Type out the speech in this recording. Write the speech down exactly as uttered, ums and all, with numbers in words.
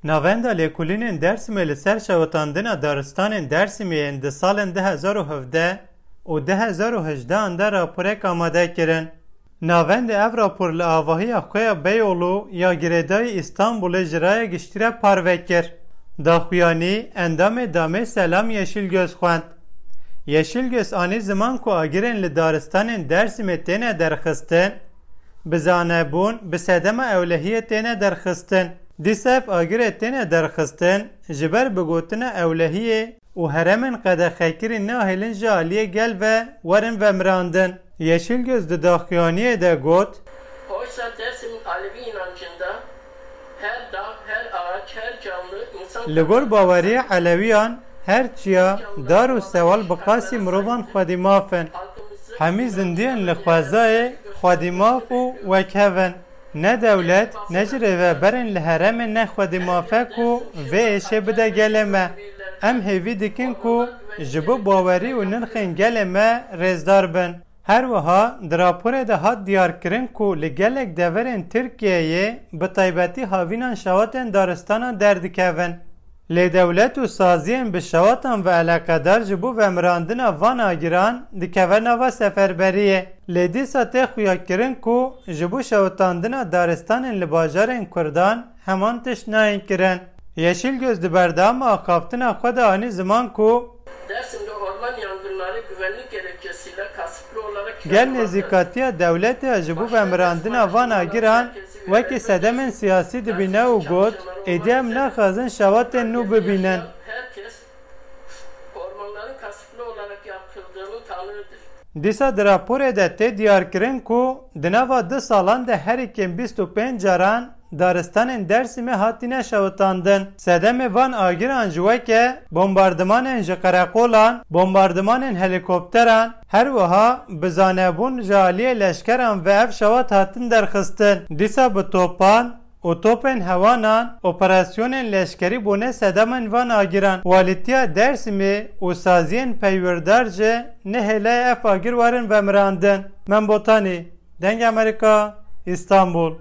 Navenda lêkolînên Dêrsimê li ser şewitandina daristanên Dêrsimê yên di salên du hezar û hevdeh û du hezar û hejdehan de raporek amade kirin. Navendê ev rapor li avahiya xwe ya Beyoğlu ya girêdayî Îstanbulê ji raya giştî re parve kir. Daxuyanî endamê Damê Selam Yeşilgöz xwend. Yeşilgöz anî ziman ku agirên li daristanên Dêrsimê têne derxistin, bi zanebûn, bi sedema ewlehiyê têne derxistin. Dîsa ev agirê têne derxistin, ji ber bi gotina ewlehiyê û herêmên qedexekirî nahêlin ji aliyê gel ve werin vemirandin. Yeşilgöz di daxuyaniyê de got, Oysa Dersim'in Alevi inancında her dağ, her ağaç, her canlı insan Li gor baweriyê Elewiyan her çiya, dar û sewal bi qasî mirovan xwedî maf in. Hemî zindiyên li xwezayê xwedî maf û wekhev in. Ne dewlet, ne jî rêveberên li herêmê ne xwedî maf e ku vê êşê bide gelê me. Em hêvî dikin ku ji bo bawerî û nirxên gelê me rêzdar bin. Her wiha di raporê de hat diyarkirin ku li gelek deverên Tirkiyeyê bi taybetî havînan şewatên daristanan derdikevin. Lê dewlet û saziyên bi şewatan ve eleqedar ji bo vemirandina van agiran dikeve nava seferberiyê. Lê dîsa tê xuyakirin ku ji bo şewitandina daristanên li bajarên Kurdan heman tişt nayên kirin. Yeşilgöz di berdewama axaftina xwe de anî ziman ku Dersim'de orman yangınları güvenlik gerekçesiyle kasıtlı olarak Gel nêzîkatiya dewletê ya ji bo vemirandina van agiran wekî sedemên siyasî dibîne û got, êdî em naxwazin şewatên nû bibînin. Herkes ormanların kasıtlı olarak yakıldığının tanığıdır. Dîsa di raporê de tê diyarkirin ku di nava du salan de herî kêm bîst û pênc caran daristanên Dêrsimê hatine şewitandin. Sedemê van agiran jî weke bombardimanên ji qereqolan, bombardimanên helîkopteran, her wiha bi zanebûn ji aliyê leşkeran ve ev şewat hatin derxistin. Dîsa bi topan û topên hewanan operasyonên leşkerî bûne sedemên van agiran. Walîtiya Dêrsimê û saziyên peywîrdar jî nehêle ev agir werin vemirandin. Mem Botanî, Dengê Amerîka, Îstanbul.